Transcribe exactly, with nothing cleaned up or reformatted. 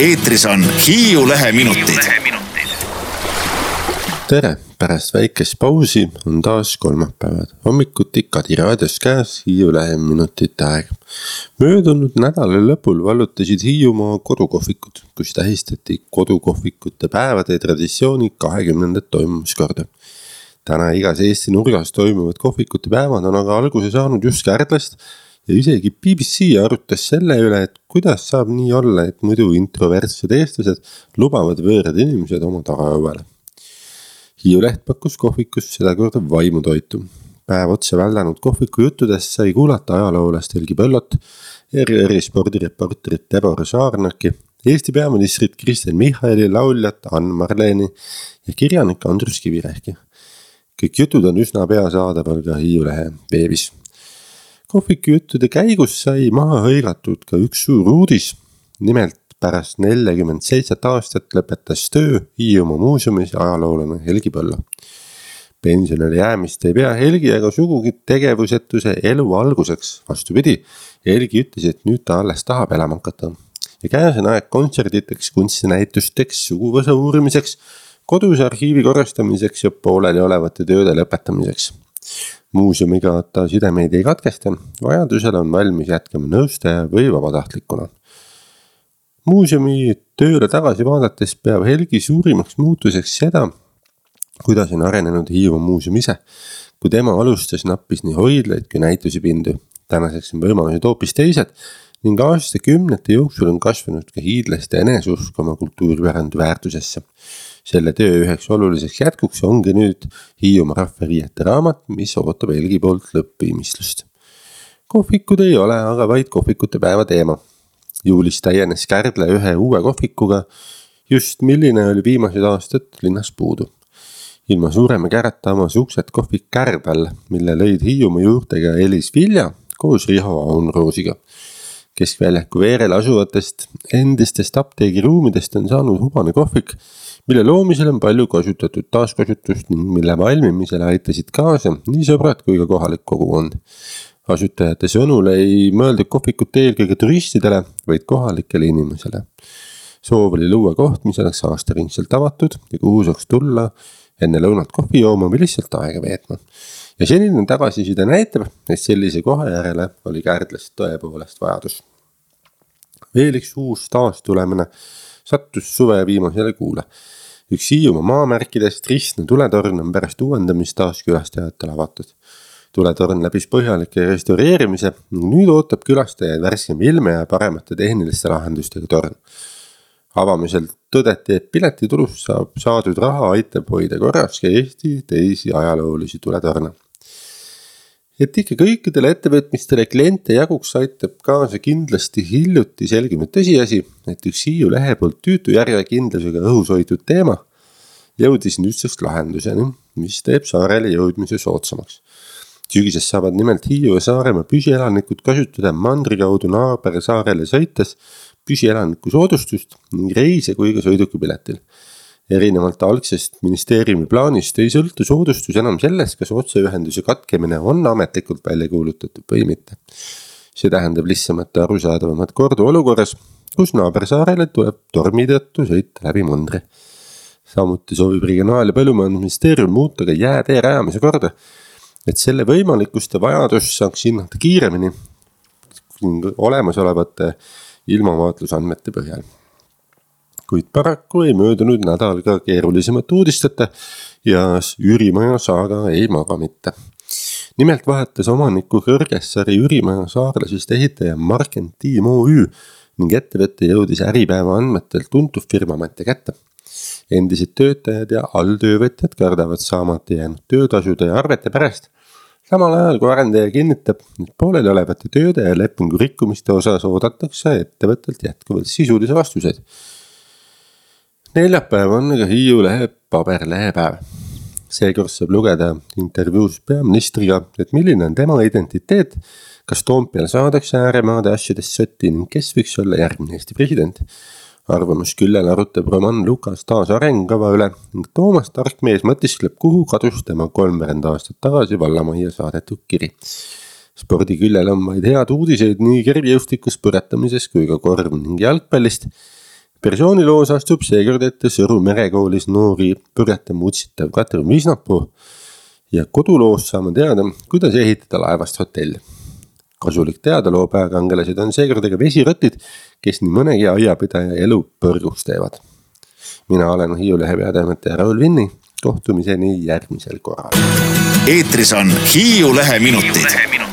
eetris on Hiiu Lehe minutid. Tere, pärast väikest pausi on taas kolmapäevad. Hommikuti Kadi raadios käes Hiiu Lehe minutite aeg. Möödunud nädala lõpul vallutasid Hiiumaa kodukohvikud, kus tähistati kodukohvikute päevade traditsiooni kahekümnendat toimumiskorda. Täna igas Eesti nurgas toimuvad kohvikute päevad on aga alguse saanud just Kärdlast ja isegi B B C arutas selle üle, et kuidas saab nii olla, et muidu introvertsed eestlased lubavad võõrad inimesed oma tagaõuele. Hiiu Leht pakkus kohvikus seda korda vaimutoitu. Päev otsa väldanud kohviku juttudest sai kuulata ajaloolast Helgi Põllot, R R spordireporterit Deborah Saarnaki, Eesti peaministrit Kristen Michali, lauljat Ann Marleni ja kirjanik Andrus Kivirehki. Kõik jutud on üsna pea saadaval ka Hiiu Lehe veebis. Kohviku juttude käigus sai maha hõigatud ka üks suur uudis. Nimelt pärast nelikümmend seitse aastat lõpetas töö Hiiumaa muuseumis ajaloolane Helgi Põllo. Pensionile jäämist ei pea Helgi ega sugugi tegevusetuse elu alguseks. Vastupidi, Helgi ütles, et nüüd ta alles tahab elama hakata. Ja käes on aeg kontserditeks, kunstinäitusteks, suguvõsa uurimiseks, kodus arhiivi korrastamiseks ja pooleli olevate tööde lõpetamiseks. Muuseumiga ta sidemeid ei katkesta, vajadusel on valmis jätkama nõustaja või vabatahtlikuna. Muuseumi tööle tagasi vaadates peab Helgi suurimaks muutuseks seda, kuidas on arenenud Hiiumaa muuseum ise. Kui tema alustas, nappis nii hoidlaid kui näitusi pindu. Tänaseks on võimalused hoopis teised ning aastakümnete jooksul on kasvanud ka hiidlaste eneseusk oma kultuuripärandi väärtusesse. Selle töö üheks oluliseks jätkuks ongi nüüd Hiiumaa rahvariiete raamat, mis ootab Helgi poolt lõppviimistlust. Kohvikud ei ole aga vaid kohvikute päeva teema. Juulis täienes Kärdla ühe uue kohvikuga, just milline oli viimased aastad linnas puudu. Ilma suurema kärata avas uksed kohvik Kärdal, mille lõid Hiiumaa juurtega Elis Vilja koos Riho Aunroosiga. Keskväljaku veerel asuvatest endistest apteegiruumidest on saanud hubane kohvik, mille loomisel on palju kasutatud taaskasutust ning mille valmimisele aitasid kaasa nii sõbrad kui ka kohalik kogukond. Asutajate sõnul ei mõeldud kohvikut eelkõige turistidele, vaid kohalikele inimesele. Soov oli luua koht, mis oleks aastaringselt avatud ja kuhu saaks tulla enne lõunat kohvi jooma või lihtsalt aega veetma. Ja senine tagasiside näitab, et sellise koha järele oli Kärdlast tõepoolest vajadus. Veel üks uus taastulemine sattus suve viimasele kuule. Üks Hiiumaa maamärkidest Ristne tuletorn on pärast uuendamist taas külastajatele avatud. Tuletorn läbis põhjalike restaureerimise ning nüüd ootab külastajaid värskem ilme ja paremate tehniliste lahendustega torn. Avamisel tõdeti, et piletitulust saab saadud raha aitab hoida korras ka Eesti teisi ajaloolisi tuletorne. Et ikka kõikidele ettevõtmistele kliente jaguks aitab kaasa kindlasti hiljuti selginud tõsiasi, et üks Hiiu Lehe poolt tüütu järjekindlusega õhus hoitud teema jõudis nüüdseks lahenduseni, mis teeb saarele jõudmise soodsamaks. Sügises saavad nimelt Hiiu ja Saaremaa püsielanikud kasutada mandri kaudu naaber saarele sõites püsielaniku soodustust ning reise kui ka sõidukipiletil. Erinevalt algsest ministeeriumi plaanist ei sõltu soodustus enam sellest, kas otseühenduse katkemine on ametlikult välja kuulutatud või mitte. See tähendab lihtsamat ja arusaadavamat kordu olukorras, kus naabersaarele tuleb tormi tõttu sõita läbi mandri. Samuti soovib Regionaal- ja Põllumajandusministeerium muuta ka jäätee rajamise korda, et selle võimalikust ja vajadust saaks hinnata kiiremini olemasolevate ilmavaatlusandmete põhjal. Kuid paraku ei möödunud nädal ka keerulisemat uudisteta ja Üürimaja saaga ei maga mitte. Nimelt vahetas omaniku Kõrgessaari Üürimaja saarlasest ehitaja Marken Tiim O Ü ning ettevõtte jõudis Äripäeva andmetel tuntud firmamante kätte. Endised töötajad ja alltöövõtjad kardavad saamata jäänud töötasude ja arvete pärast. Samal ajal kui arendaja kinnitab, et pooleli olevate tööde ja lepingu rikkumiste osas oodatakse ettevõttelt jätkuvalt sisulisi vastuseid. Neljapäev on aga Hiiu Lehe paberlehepäev. Seekord saab lugeda intervjuus peaministriga, et milline on tema identiteet, kas Toompeal saadakse ääremaade asjadest sotti ning kes võiks olla järgmine Eesti president. Arvamus küllel arutab Roman Lukas taas arengukava üle ning Toomas Tarkmees mõtiskleb, kuhu kadus tema kolmveerand aastat tagasi vallamajja saadetud kiri. Spordiküljel on vaid head uudiseid nii kergejõustikust põretamises kui ka korv ning jalgpallist. Persooniloos astub seekord ette Sõru merekoolis noori purjeta mutsitav Katrin Visnapuu ja koduloos saame teada, kuidas ehitada laevast hotell. Kasulik teada loo pääkangelased on seekord ega vesirotid, kes nii mõnegi aiapidaja elu põrgus teevad. Mina olen Hiiu Lehe peatoimetaja Raul Vinni, kohtumiseni järgmisel korral. Eetris on Hiiu Lehe minutid.